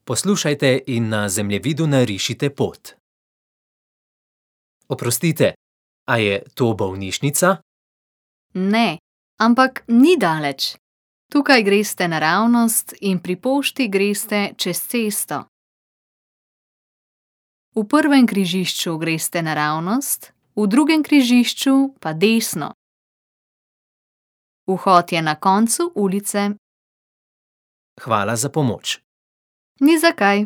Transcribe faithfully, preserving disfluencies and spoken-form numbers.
Poslušajte in na zemljevidu narišite pot. Oprostite, a je to bolnišnica? Ne, ampak ni daleč. Tukaj greste naravnost in pri pošti greste čez cesto. V prvem križišču greste naravnost, v drugem križišču pa desno. Vhod je na koncu ulice. Hvala za pomoč. Ni za kaj.